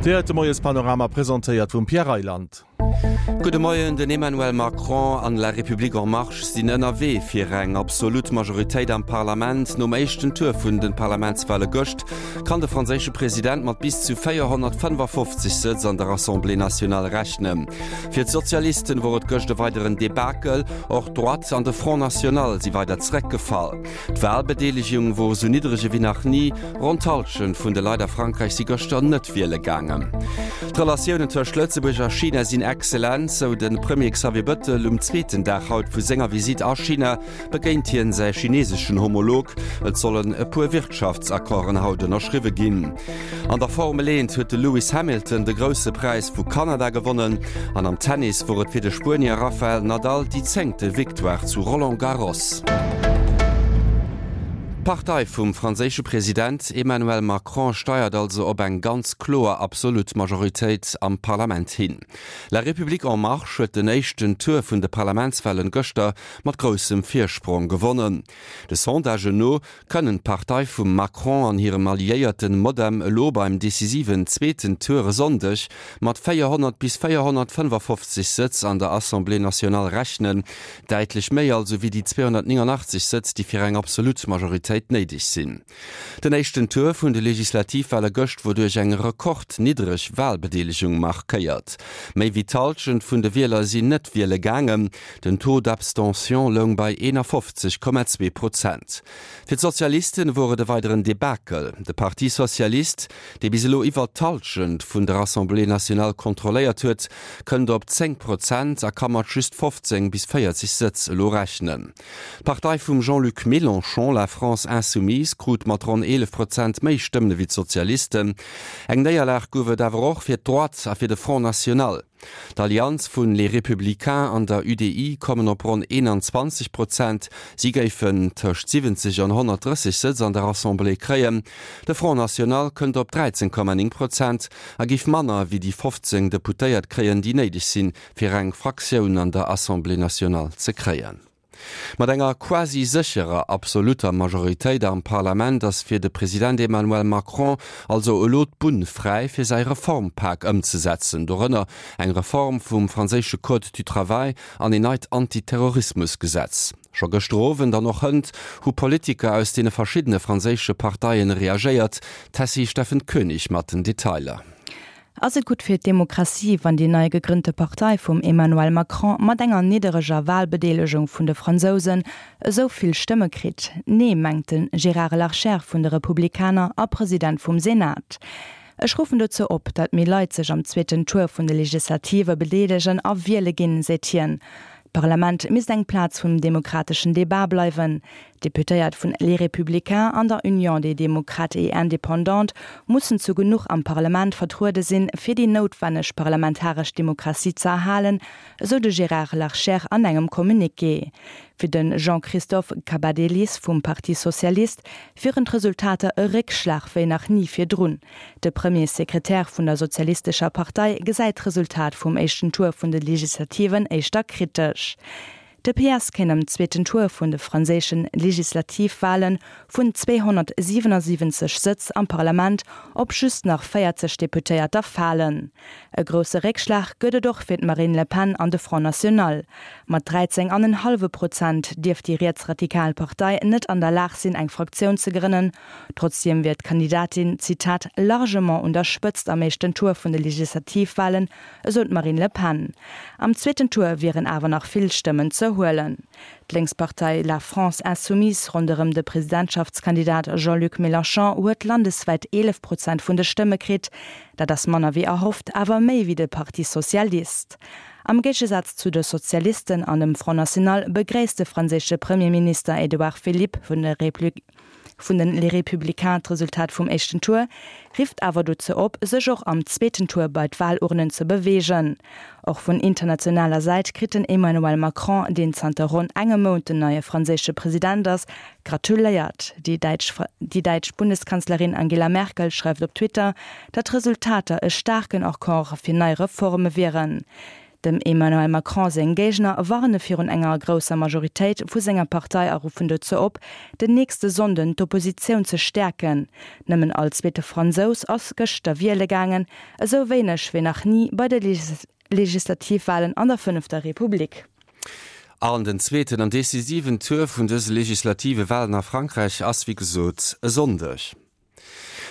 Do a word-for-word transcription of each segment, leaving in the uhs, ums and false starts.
Dir héiert de Moiespanorama, presentéiert vum Pierre Reyland. Gudde Moien, Den Emmanuel Macron an La République en Marche sinn ënnerwee fir eng absolut Majoritéit am Parlament. Nom éischten Tour vun de Parlamentswale gëscht kann de franséische President mat bis zu véierhonnertfënnefafofzeg Sëtz an der Assemblée nationale rechnen. Fir d'Sozialisten wor et gëscht e weideren Debakel, och d'Droite an de Front National si weider zeréckgefall. D'Walbedeelegung wor esou niddreg ewéi nach ni, ronn d'Hallschent vun de Leit a Frankräich si gëschter net wiele gaangen. D'Relatiounen tëscht Lëtzebuerg a China sinn excellent, sou de Premier Xavier Bëttel. Um zweeten Dag haut vu senger Visitt a China begéint hien säi chineseschen Homolog. Et sollen e puer Wirtschaftsaccorden haut ënnerschriwwe ginn. An der Formel eent huet de Lewis Hamilton de Grousse Präis vu Kanada gewonnen an am Tennis wor et fir de Spuenier Rafael Nadal déi zéngte Victoire zu Roland Garros. D'Partei vum franséische President Emmanuel Macron steiert also op eng ganz kloer absolut Majoritéit am Parlament hin. La République en Marche huet den éischten Tour vun de Parlamentswalen gëschter mat groussem Virsprong gewonnen. De Sondagen no kënnen d'Partei vum Macron an hirem Alliéierten Modem elo beim decisiven zweeten Tour e Sonndeg mat véierhonnert bis véierhonnertfënnefafofzeg Sëtz an der Assemblée nationale rechnen, däitlech méi also wéi déi zweehonnertnéngangachtzeg Sëtz, déi fir eng absolut Majoritéit néideg sinn. Den éischten Tour vun de Legislativwale gëscht wor duerch eng rekordniddreg Walbedeelegung markéiert. Méi wéi d'Hallschent vun de Wieler sinn net wiele gaangen. Den Taux d'abstention loung bei eenafofzeg Komma zwee Prozent. Fir d'Sozialisten wor et e weideren Debakel. De Parti Socialiste, dee bis elo iwwert d'Hallschent vun der Assemblée nationale kontrolléiert huet, kënnt op zéng Prozent a ka mat just fofzéng bis véierzeg Sëtz elo rechnen. D'Partei vum Jean-Luc Mélenchon, La France Insoumise, krut mat ronn eelef Prozent méi Stëmmen ewéi d'Sozialisten. Eng Néierlag gouf et awer och fir d'Droite a fir de Front National. D'Allianz vun Les Républicains an der U D I kommen op ronn eenanzwanzeg Prozent, si géifen tëscht siwwenzeg an honnertdrësseg Sëtz an der Assemblée kréien. De Front National kënnt op dräizéng Komma néng Prozent a géif manner wéi déi fofzéng Deputéiert kréien, déi néideg sinn, fir eng Fraktioun an der Assemblée nationale ze kréien. Mat enger quasi sécherer absolutter Majoritéit am Parlament ass fir de President Emmanuel Macron also elo d'Bunn fräi fir säi Reformpak ëmzesetzen, dorënner eng Reform vum franséische Code du travail an een neit Antiterrorismusgesetz. Scho gëschter Owend an och hënt hu Politiker aus deene verschiddene franséische Parteien reagéiert. D'Tessy Steffen Koenig mat den Detailer. Ass et gutt fir d'Demokratie, wann déi nei gegrënnte Partei vum Emmanuel Macron mat enger niddereger Walbedeelegung vun de Fransousen esou vill Stëmme kritt? Nee, mengt de Gérard Larcher vun de Republikaner a President vum Senat. Ech ruffen dozou op, datt méi Leit sech am zweeten Tour vun de Legislative bedeelegen a wiele ginn, seet hien. D'Parlament misst eng Plaz vum demokrateschen Debat bleiwen. D'Deputéiert vun Les Républicains an der Union des démocrates et indépendants mussen zu genuch am Parlament vertruede sinn, fir déi noutwenneg parlamentaresch Demokratie ze erhalen, esou de Gérard Larcher an engem Communiqué. Fir de Jean-Christophe Cambadélis vum Parti Socialiste wieren d'Resultater e Réckschlag wéi nach ni virdrun. De Premier Sekretär vun der Sozialistescher Partei gesäit d'Resultat vum éischten Tour vun de Legislativen éischter kritesch. De P S kéint am zweeten Tour vun de franséische Legislativwale vun zweehonnertsiwenasiwwenzeg Sëtz am Parlament op just nach véierzeg Deputéierter falen. E grousse Réckschlag gëtt et och fir d'Marine Le Pen an de Front National. Mat dräizéng an en hallwe Prozent dierft déi rietsradikal Partei net an der Lag sinn eng Fraktioun ze grënnen. Trotzdeem wier d'Kandidatin, Zitat, largement un der Spëtzt am éischten Tour vun de Legislativwalen, esou d'Marine Le Pen. Am zweeten Tour wieren awer nach vill Stëmmen ze huelen. D'Lénkspartei La France Insoumise ronderëm de Presidentschaftskandidat Jean-Luc Mélenchon huet landeswäit eelef Prozent vun de Stëmme kritt. Dat ass manner wéi erhofft, awer méi wéi de Parti Socialiste. Am Géigesaz zu de Sozialisten an dem Front National begréisst de franséische Premierminister Edouard Philippe vun de vun den Les Républicains d'Resultat vum éischten Tour, rifft awer dozou op, sech och am zweeten Tour bei d'Walurnen ze beweegen. Och vun internationaler Säit kritt den Emmanuel Macron, deen zanter ronn engem Mount den neie franséische President ass, gratuléiert. Déi däitsch déi däitsch Bundeskanzlerin Angela Merkel schreift op Twitter, datt d'Resultater e staarken Accord fir nei Reforme wieren. Dem Emmanuel Macron seng Géigner warne virun enger grousser Majoritéit vu senger Partei a ruffen dozou op, den nächste Sonnden d'Oppositioun ze stäerken. Nëmmen all zweete Fransous ass gëschter wiele gaangen, esou wéineg wéi nach ni bei de Legislativwalen an der Fënnefter Republik. An den zweeten an decisiven Tour vun dëse legislative Walen a Frankräich ass wéi gesot e Sonndeg.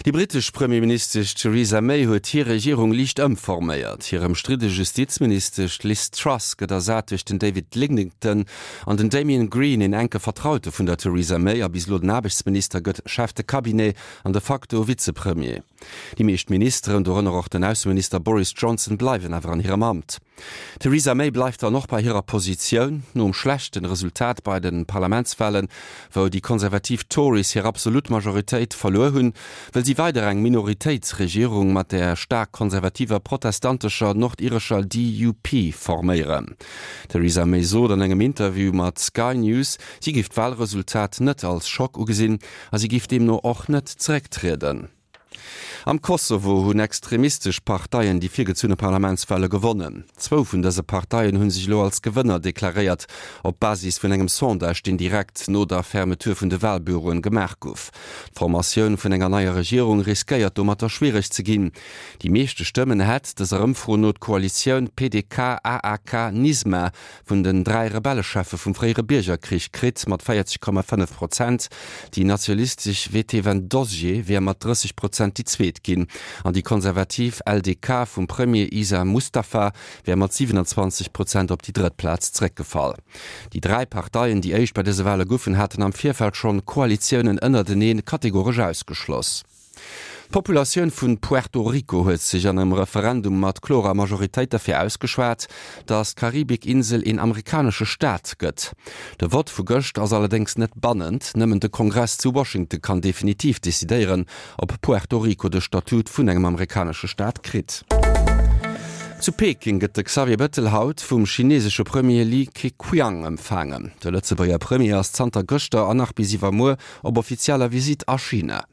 Déi brittesch Premierministesch Theresa May huet hir Regierung liicht ëmforméiert. Hir ëmstridde Justizministesch Liz Truss gëtt ersat duerch den David Lidington an den Damian Green, een enke Vertraute vun der Theresa May a bis elo den Aarbechtsminister, gëtt Chef de Cabinet an de facto Vizepremier. Déi meescht Ministeren, dorënner och den Ausseminister Boris Johnson, bleiwen awer an hirem Amt. D'Theresa May bleift dann och bei hirer Positioun. Nom schlechten Resultat bei de Parlamentswalen, wou déi konservativ Tories hir absolut Majoritéit verluer hunn, wëll si weider eng Minoritéitsregierung mat der staark konservativer protestantescher nordirescher D U P forméieren. D'Theresa May sot an engem Interview mat Sky News, si géif d'Walresultat net als Schock ugesinn a si géif deemno och net zerécktrieden. Am Kosovo hunn extremistesch Parteien déi virgezunne Parlamentswale gewonnen. Zwou vun dëse Parteien hu sech elo als Gewënner deklaréiert, op Basis vun engem Sondage, deen direkt no der Fermeture vun de Walbüroen gemaach gouf. D'Formatioun vun enger neier Regierung riskéiert domatter schwiereg ze ginn. Déi meeschte Stëmmen hätt dëser Ëmfro no d'Koalitioun P D K A A K Nisma vun den dräi Rebellecheffe vum fréiere Biergerkrich kritt, mat véierzeg Komma fënnef Prozent. Déi nationalistesch Vetëvendosje wier mat drësseg Prozent déi zweet ginn an déi konservativ L D K vum Premier Isa Mustafa wär mat siwenanzwanzeg Prozent op déi drëtt Plaz zeréckgefall. Déi dräi Parteien, déi éischt bei dëse Wale goufen, haten am Virfeld schonn Koalitiounen ënnertenee kategoresch ausgeschloss. D'Populatioun vun Puerto Rico huet sech an engem Referendum mat klorer Majoritéit derfir ausgeschwat, datt d'Karibikinsel een amerikanesche Staat gëtt. De Vott vu gëscht ass allerdéngs net bannend, nëmmen de Kongress zu Washington kann definitiv decidéieren, ob Puerto Rico de Statut vun engem amerikanesche Staat kritt. Zu Peking gëtt de Xavier Bettel haut vum chinesesche Premier Li Keqiang empfaangen. De Lëtzebuerger Premier ass zanter gëschter an nach bis iwwermuer op offizieller Visitt a China.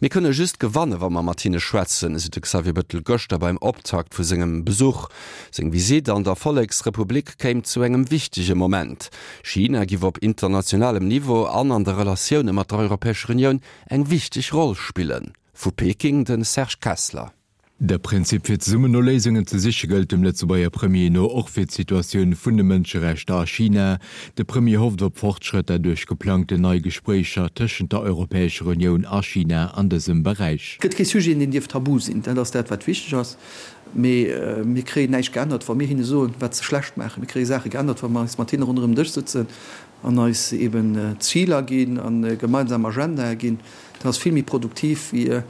Mir kënne just gewannen, wa mer mat hinne schwätzen, sot de Xavier Bettel gëschter beim Optakt vu sengem Besuch. Seng Visitt an der Volleksrepublik kéim zu engem wichtege Moment. China géif op internationalem Niveau an an de Relatioune mat der Europäescher Unioun eng wichteg Roll spillen. Vu Peking de Serge Kessler. De Prinzip fir zesummen no Léisungen ze siche gëllt dem Lëtzebuerger Premier no och fir d'Situatioun vun de Mënscherechter a China. De Premier hofft op Fortschrëtter duerch geplangten nei Gespréicher tëschent der Europäescher Unioun a China an dësem Beräich. Gëtt kee Sujet, deen dierf tabu sinn, dat ass dat wat wichteg ass. Mee mir kréien näischt geännert, wa mir hinne soen, wat se schlecht maachen. Mir kréie Saache geännert, wa mer eis mat hinne ronderëm Dësch sëtzen an eis eben Ziler ginn an gemeinsam Agendae ginn. Dat ass vill méi produktiv wéi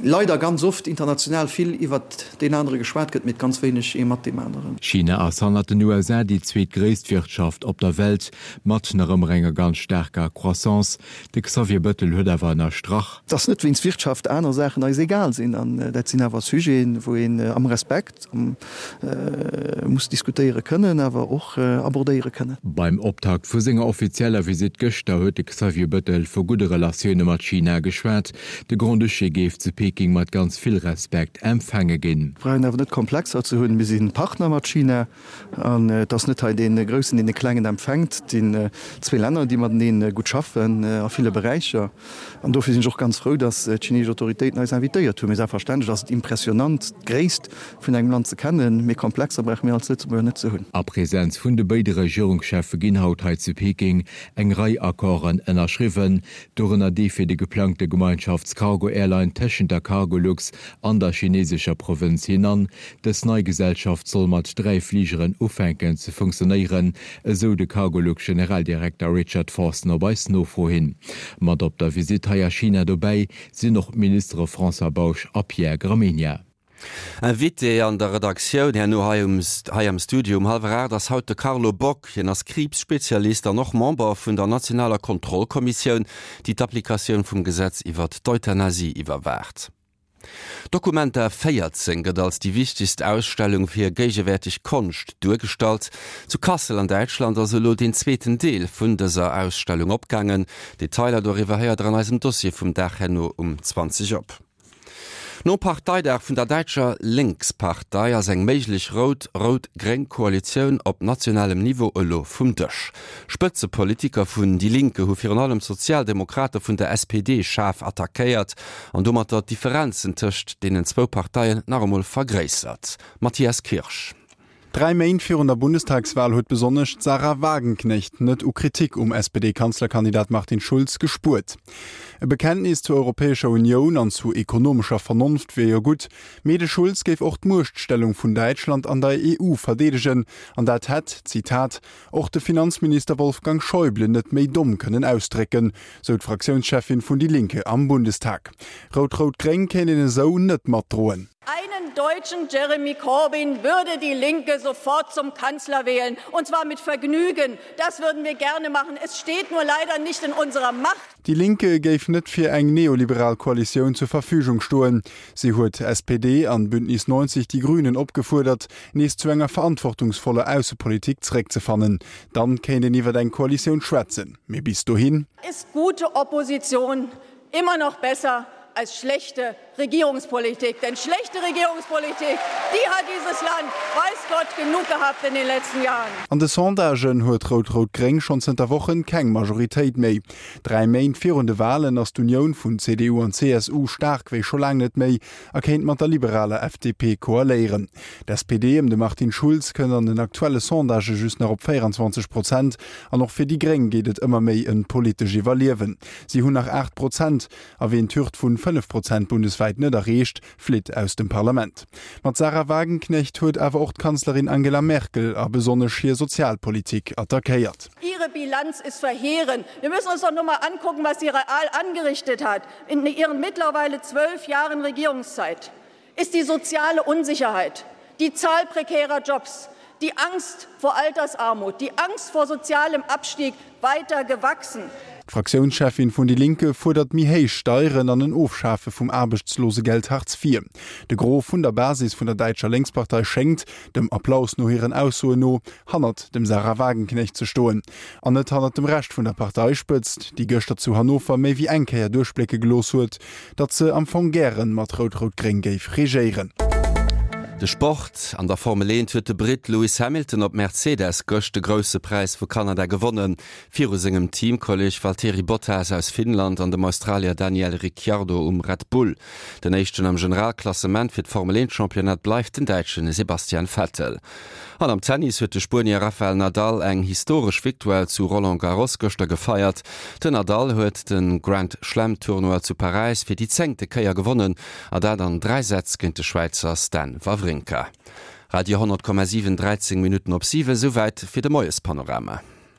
leider ganz oft international vill iwwert deen anere geschwat gëtt, mee ganz wéineg ee mat deem aneren. China ass hannert den U S A déi zweetgréisst Wirtschaft op der Welt, mat nach ëmmer enger ganz staarker Croissance. De Xavier Bettel huet awer ënnerstrach. Dass net wéinst Wirtschaft aner Saachen eis egal sinn, an dat sinn awer Sujeten, wou een am Respekt muss diskutéiere kënnen, awer och abordéiere kënnen. Beim Optakt vu senger offizieller Visitt gëschter huet de Xavier Bettel vu gudde Relatioune mat China geschwat. De Grand-Duché géif zu Peking mat ganz vill Respekt empfaange ginn. Brauchen awer net Komplexer ze hunn. Mir si Partner mat China an et ass net hei dee Groussen, deen de Klengen empfänkt. Et sinn zwee Länner, déi matenee gutt schaffen a ville Beräicher. An dofir sinn ech och ganz frou, datt d'chineesesch Autoritéiten eis invitéiert hunn. Mee selbstverständlech ass et impressionant, d'Gréisst vun engem Land ze kennen, mee Komplexer brauche mir als Lëtzebuerger net ze hunn. A Presenz vun de béide Regierungscheffe ginn haut hei zu Peking eng Rei Accorden ënnerschriwwen, dorënner dee fir de geplangte Gemeinschafts-Cargo-Airline tëschent der Cargolux an der chinesescher Provënz Henan. Dës nei Gesellschaft soll mat dräi Fligeren ufänken ze funktionéieren, esou de Cargolux-Generaldirekter Richard Forson op eis Nofro hin. Mat op der Visitt hei a China dobäi sinn och d'Ministere François Bausch a Pierre Gramegna. Invité an der Redaktioun herno hei um hei am Studio um hallwer aacht ass haut de Carlo Bock. Hien ass Kriibsspezialist an och Member vun der nationaler Kontrollkommissioun, déi d'Applikatioun vum Gesetz iwwert d'Euthanasie iwwerwaacht. Documenta véierzéng gëtt als déi wichtegst Ausstellung fir géigewäerteg Konscht duergestallt. Zu Kassel an Däitschland ass elo den zweeten Deel vun dëser Ausstellung opgaangen. Detailer doriwwer héiert der an eisem Dossier vum Dag herno um zwanzeg op. Nom Parteidag vun der däitscher Linkspartei ass eng méiglech rout-rout-gréng Koalitioun op nationalem Niveau elo vum Dësch. Spëtzepolitiker vun Die Linke hu virun allem d'Sozialdemokrate vun der S P D schaarf attackéiert an domatter d'Differenzen tëscht deenen zwou Parteien nach emol vergréissert. Matthias Kirsch. Dräi Méint virun der Bundestagswal huet besonnesch d'Sahra Wagenknecht net u Kritik um S P D-Kanzlerkandidat Martin Schulz gespuert. E Bekenntnis zur Europäescher Unioun an zu ekonomescher Vernonft wier jo gutt, mee de Schulz géif och d'Muechtstellung vun Däitschland an der E U verdeedegen, an dat hätt, Zitat, och de Finanzminister Wolfgang Schäuble net méi domm kënnen ausdrécken, sou d'Fraktiounscheffin vun Die Linke am Bundestag. Rout-Rout-Gréng kéint een esou net matdroen. Einen deutschen Jeremy Corbyn würde die Linke sofort zum Kanzler wählen, und zwar mit Vergnügen. Das würden wir gerne machen. Es steht nur leider nicht in unserer Macht. Die Linke géif net fir eng neoliberal Koalitioun zur Verfügung stoen. Si huet S P D an Bündnis neunzeg Die Grünen opgefuerdert, nees zu enger verantwortungsvoller Aussepolitik zeréckzefannen. Dann kéint een iwwer eng Koalitioun schwätzen. Mee bis dohin ist gute Opposition immer noch besser als schlechte Regierungspolitik. Denn schlechte Regierungspolitik, die hat dieses Land, weiß Gott, genug gehabt in den letzten Jahren. An de Sondagen huet Rout-Rout-Gréng schonn zënter Wochen keng Majoritéit méi. Dräi Méint virun de Walen ass d'Unioun vun C D U an C S U staark wéi scho laang net méi a kéint mat der liberaler F D P koaléieren. D'S P D ëm de Martin Schulz kënnt an den aktuelle Sondagë just nach op véierenzwanzeg Prozent an och fir déi Gréng geet et ëmmer méi ëm d'politescht Iwwerliewen. Si hunn nach aacht Prozent a wien d'Hürd vun fënnef Prozent bundeswäit net erreecht, flitt aus dem Parlament. Mat Sahra Wagenknecht huet awer och d'Kanzlerin Angela Merkel a besonnesch hir Sozialpolitik attackéiert. Ihre Bilanz ist verheerend. Wir müssen uns doch nur mal angucken, was sie real angerichtet hat in ihren mittlerweile zwölf Jahren Regierungszeit. Ist die soziale Unsicherheit, die Zahl prekärer Jobs, die Angst vor Altersarmut, die Angst vor sozialem Abstieg weiter gewachsen. D'Fraktiounscheffin vun Die Linke fuerdert méi héich Steieren an en Ofschafe vum Aarbechtslosegeld Hartz vier. De Gros vun der Basis vun der däitscher Lénkspartei schéngt, dem Applaus no hiren Aussoen no, hannert dem Sahra Wagenknecht ze stoen. An net hannert dem Rescht vun der Parteispëtzt, déi gëschter zu Hannover méi wéi eng Kéier duerchblécke gelooss huet, datt se am Fong gären mat Rout-Rout-Gréng géif regéieren. De Sport. An der Formel eent huet de Britt Lewis Hamilton op Mercedes gëscht de Grousse Präis vu Kanada gewonnen. Viru sengem Teamkolleeg Valtteri Bottas aus Finnland an dem Australier Daniel Ricciardo um Red Bull. Den éischten am Generalklassement fir d'Formel eent Championnat bleift den Däitsche Sebastian Vettel. An am Tennis huet de Spuenier Rafael Nadal eng historesch Victoire zu Roland Garros gëschter gefeiert. Den Nadal huet de Grand Slam Tournoi zu Paräis fir déi zéngte Kéier gewonnen, a dat an dräi Sätz géint de Schwäizer Stan Wawrinka. Radio honnert Komma siwen, dräizéng Minutten op siwen, souwäit fir de Moiespanorama.